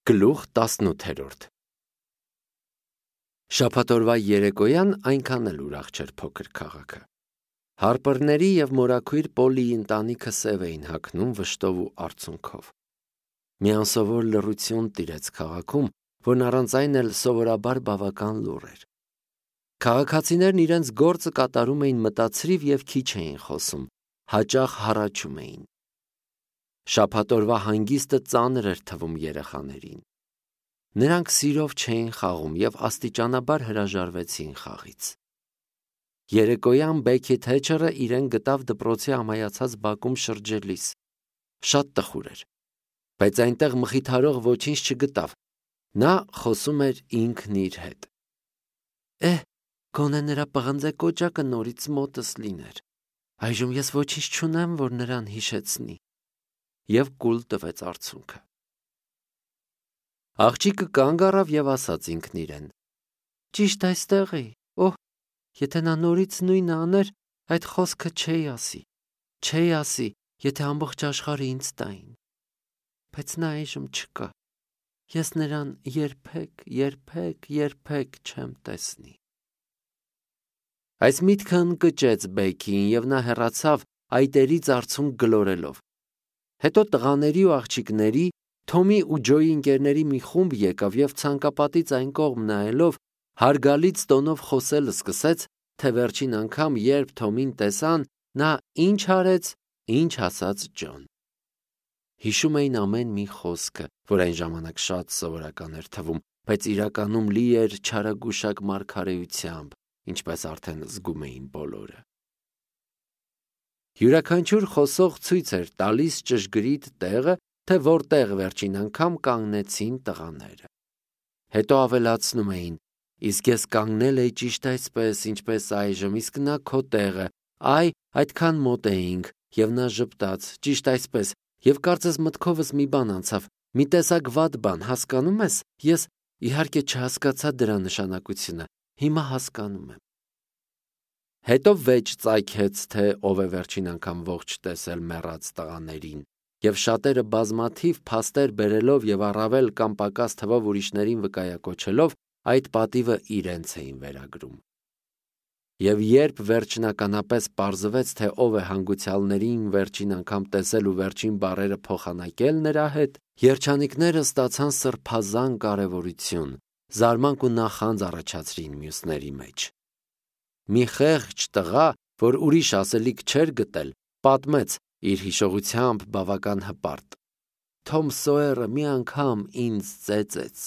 Գլուխ 18 Շաբաթօրվա երեկոյան այնքան էլ ուրախ չէր փոքր քաղաքը։ Հարպռների և մորաքույր Պոլիի ընտանիքը սև էին հագնում վշտով ու արցունքով։ Մի անսովոր լռություն տիրեց քաղաքում, որն առանց այն էլ սովորաբար բավական լուռ էր։ Քաղաքացիներն իրենց գործը կատարում էին մտածրիվ և քիչ էին խոսում, հաճախ հառաչում էին։ Շաբաթօրվա հանգիստը ծանր էր թվում երեխաներին։ Նրանք սիրով չէին խաղում և աստիճանաբար հրաժարվեցին խաղից։ Երեկոյան Բեքի Թեչերը իրեն գտավ դպրոցի ամայացած բակում շրջելիս։ Շատ տխուր էր, բայց այնտեղ մխիթարող ոչինչ չգտավ։ Նա խոսում էր ինքն իր հետ. Գոնե նրա պղնձե կոճակը նորից մոտս լիներ։ Այժմ ես ոչինչ չունեմ, որ նրան հիշեցնի։ Եվ կուլ տվեց արցունքը։ Աղջիկը կանգ առավ և ասաց ինքն իրեն. Ճիշտ այստեղ էի։ Եթե նա նորից նույնը աներ, այդ խոսքը չէի ասի, եթե ամբողջ աշխարհը ինձ տային։ Բայց նա այժմ չկա։ Ես նրան երբեք չեմ տեսնի։ Այս միտքը ընկճեց Բեքիին, և նա հեռացավ այտերից արցունք գլորելով։ Հետո տղաների ու աղջիկների, Թոմի ու Ջոյի ընկերների մի խումբ եկավ և ցանկապատից այն կողմ նայելով հարգալից տոնով խոսել սկսեց, թե վերջին անգամ, երբ Թոմին տեսան, նա ինչ արեց, ինչ ասաց Ջոն։ Հիշում էին ամեն մի խոսքը, որ այն ժամանակ շատ սովորական էր թվում, բայց իրականում լի էր չարագուշակ մարգարեությամբ, ինչպես արդեն զգում էին բոլորը։ Յուրաքանչյուր խոսող ցույց էր տալիս ճշգրիտ տեղը, թե որտեղ վերջին անգամ կանգնեցին տղաները։ Հետո ավելացնում էին. իսկ ես կանգնել էի ճիշտ այսպես, ինչպես այժմ, իսկ նա քո տեղը, այդքան մոտ էինք, և նա ժպտաց, ճիշտ այսպես, և կարծես մտքովս մի բան անցավ, մի տեսակ վատ բան, հասկանում ես, ես իհարկե չհասկացա դրա նշանակությունը, հիմա հասկանում եմ։ Հետո վեճ ծագեց, թե ով է վերջին անգամ ողջ տեսել մեռած տղաներին, և շատերը բազմաթիվ փաստեր բերելով և առավել կամ պակաս թվով ուրիշներին վկայակոչելով, այդ պատիվը իրենց էին վերագրում։ Եվ երբ վերջնականապես պարզվեց, թե ով է հանգուցյալներին վերջին անգամ տեսել ու վերջին բառերը փոխանակել նրա հետ, երջանիկները ստացան սրբազան կարևորություն, զարմանք ու նախանձ առաջացրին մյուսների մեջ։ Մի խեղճ տղա, որ ուրիշ ասելիք չէր գտել, պատմեց իր հիշողությամբ բավական հպարտ. Թոմ Սոյերը մի անգամ ինձ ծեծեց։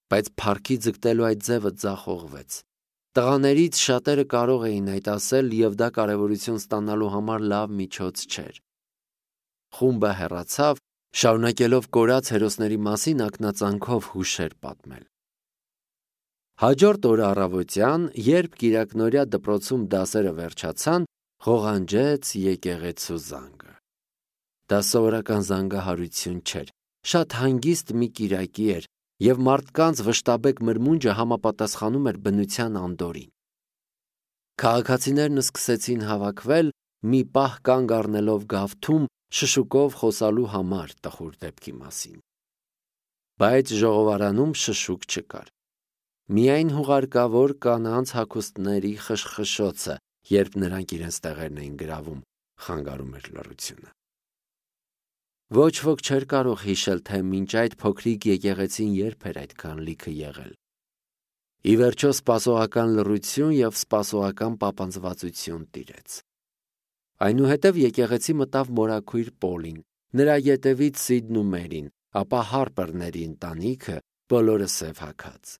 Բայց փառքի ձգտելու այդ ձևը ձախողվեց։ Տղաներից շատերը կարող էին այդ ասել, և դա կարևորություն ստանալու համար լավ միջոց չէր։ Խումբը հեռացավ, շարունակելով կորած հերոսների մասին ակնածանքով հուշեր պատմել։ Հաջորդ օրը առավոտյան, երբ կիրակնօրյա դպրոցում դասերը վերջացան, ղողանջեց եկեղեցու զանգը։ Դա սովորական զանգահարություն չէր, շատ հանգիստ մի կիրակի էր, և մարդկանց վշտաբեկ մրմունջը համապատասխանում էր բնության անդորրին։ Քաղաքացիներն սկսեցին հավաքվել, մի պահ կանգ առնելով գավթում, շշուկով խոսալու համար տխուր դեպքի մասին։ Բայց ժողովարանում շշուկ չկար։ Միայն հուղարկավոր կանանց հագուստների խշխշոցը, երբ նրանք իրենց տեղերն էին գրավում, խանգարում էր լռությունը։ Ոչ ոք չէր կարող հիշել, թե մինչ այդ փոքրիկ եկեղեցին երբ էր այդքան լիքը եղել։ Ի վերջո սպասողական լռություն և սպասողական պապանձվածություն տիրեց։ Այնուհետև եկեղեցի մտավ մորաքույր Պոլին, նրա ետևից Սիդն ու Մերին, ապա Հարպռների ընտանիքը, բոլորը սև հագած։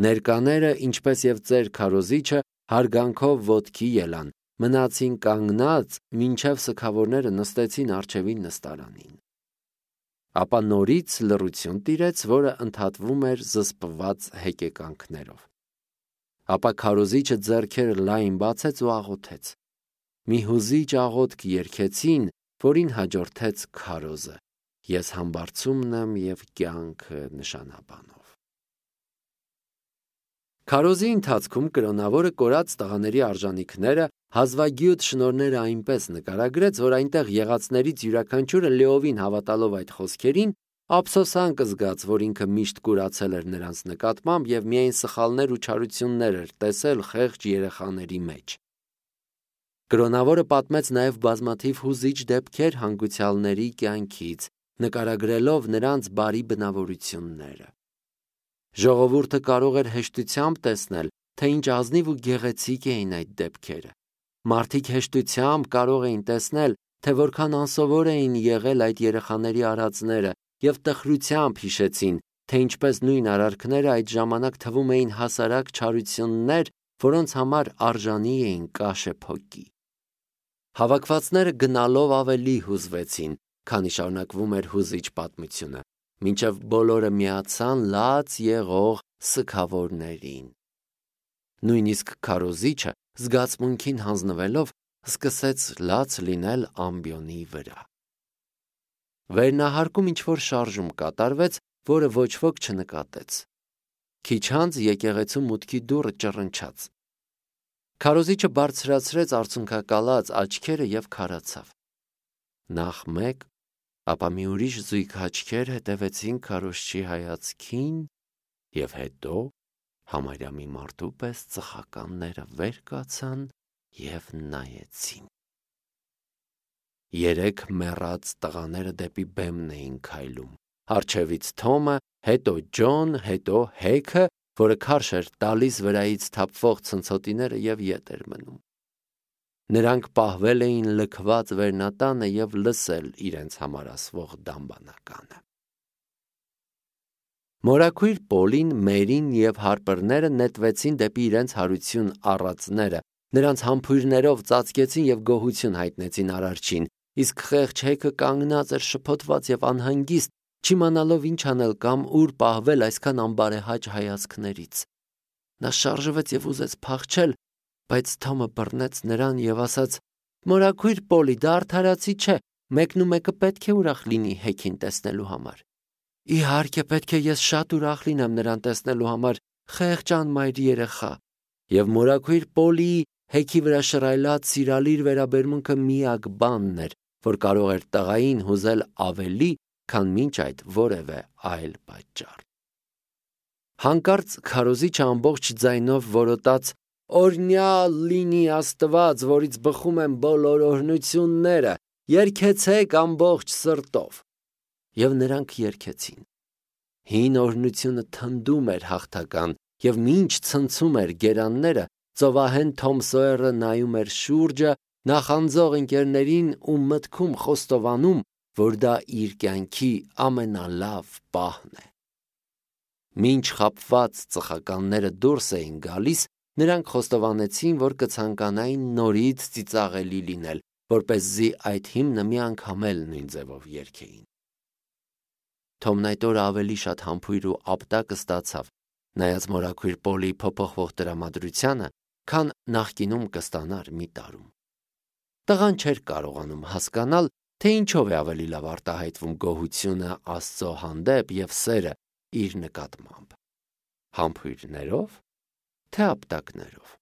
Ներկաները, ինչպես և ծեր քարոզիչը, հարգանքով ոտքի ելան, մնացին կանգնած, մինչև սգավորները նստեցին առջևին նստարանին։ Ապա նորից լռություն տիրեց, որը ընդհատվում էր զսպված հեկեկանքներով։ Ապա քարոզիչը ձեռքերը լայն բացեց ու աղոթեց։ Մի հուզիչ աղոթք երգեցին, որին հաջորդեց քարոզը. Ես համբարձումն եմ և կյանքը նշանաբանով։ Քարոզի ընթացքում կրոնավորը կորած տղաների արժանիքները, հազվագյուտ շնորհները այնպես նկարագրեց, որ այնտեղ եղածներից յուրաքանչյուրը լիովին հավատալով այդ խոսքերին, ափսոսանք զգաց, որ ինքը միշտ կուրացել էր նրանց նկատմամբ և միայն սխալներ ու չարություններ էր տեսել խեղճ երեխաների մեջ։ Կրոնավորը պատմեց նաև բազմաթիվ հուզիչ դեպքեր հանգուցյալների կյանքից, նկարագրելով նրանց բարի բնավորությունները։ Ժողովուրդը կարող էր հեշտությամբ տեսնել, թե ինչ ազնիվ ու գեղեցիկ էին այդ դեպքերը։ Մարդիկ հեշտությամբ կարող էին տեսնել, թե որքան անսովոր էին եղել այդ երեխաների արածները և տխրությամբ հիշեցին, թե ինչպես նույն արարքները այդ ժամանակ թվում էին հասարակ չարություններ, որոնց համար արժանի էին կաշեփոկի։ Հավաքվածները գնալով ավելի հուզվեցին, քանի շարունակվում էր հուզիչ պատմությունը, մինչև բոլորը միացան լաց եղող սգավորներին։ Նույնիսկ քարոզիչը, զգացմունքին հանձնվելով, սկսեց լաց լինել ամբիոնի վրա։ Վերնահարկում ինչ-որ շարժում կատարվեց, որը ոչ ոք չնկատեց։ Քիչ անց եկեղեցու մուտքի դուռը ճռնչաց։ Քարոզիչը բարձրացրեց արցունքակալած աչքերը և քարացավ։ Նախ մեկ, ապա մի ուրիշ զույգ աչքեր հետևեցին քարոզչի հայացքին, և հետո համարյա մի մարդու պես ծխականները վեր կացան և նայեցին։ 3 մեռած տղաները դեպի բեմն էին քայլում։ Առջևից Թոմը, հետո Ջոն, հետո Հեքը, որը քարշ էր տալիս վրայից թափվող ցնցոտիները և ետ էր մնում։ Նրանք պահվել էին լքված վերնատանը և լսել իրենց համար ասվող դամբանականը։ Մորաքույր Պոլին, Մերին և Հարպրները նետվեցին դեպի իրենց հարություն առածները, նրանց համբույրներով ծածկեցին և գոհություն հայտնեցին Արարչին, իսկ խեղճ Հեքը կանգնած էր շփոթված և անհանգիստ, չիմանալով ինչ անել կամ ուր պահվել այսքան անբարեհաճ հայացքներից։ Նա շարժվեց և ուզեց փախչել, բայց Թոմը բռնեց նրան և ասաց. «Մորաքույր Պոլի, դա արդարացի չէ, մեկնումեկը պետք է ուրախ լինի Հեքին տեսնելու համար»։ Իհարկե, պետք է ես շատ ուրախ լինեմ նրան տեսնելու համար, խեղճ անմայր երեխա։ Եվ մորաքույր Պոլիի Հեքի վրա շռայլած սիրալիր վերաբերմունքը միակ բանն էր, որ կարող էր տղային հուզել ավելի, քան մինչ այդ որևէ այլ պատճառ։ Հանկարծ քարոզիչը ամբողջ ձայնով որոտաց. «Օրհնյալ լինի Աստված, որից բխում են բոլոր օրհնությունները, երգեցեք ամբողջ սրտով»։ Եվ նրանք երգեցին։ Հին օրհնությունը թնդում էր հաղթական, և մինչ ցնցում էր գերանները, ծովահեն Թոմ Սոյերը նայում էր շուրջը, նախանձող ընկերներին ու մտքում խոստովանում, որ դա իր կյանքի ամենալավ պահն է։ Մինչ խաբված ծխականները դուրս էին գալիս, նրանք խոստովանեցին, որ կցանկանային նորից ծիծաղելի լինել, որպեսզի այդ հիմնը մի անգամ էլ նույն ձևով երգեին։ Թոմն այդ օրը ավելի շատ համբույր ու ապտակ ստացավ, նայած մորաքույր Պոլիի փոփոխվող տրամադրությանը, քան նախկինում կստանար մի տարում։ Տղան չէր կարողանում հասկանալ, թե ինչով է ավելի լավ արտահայտվում գոհությունը Աստծո հանդեպ և սերը իր նկատմամբ՝ համբույրներով, թե ապտակներով։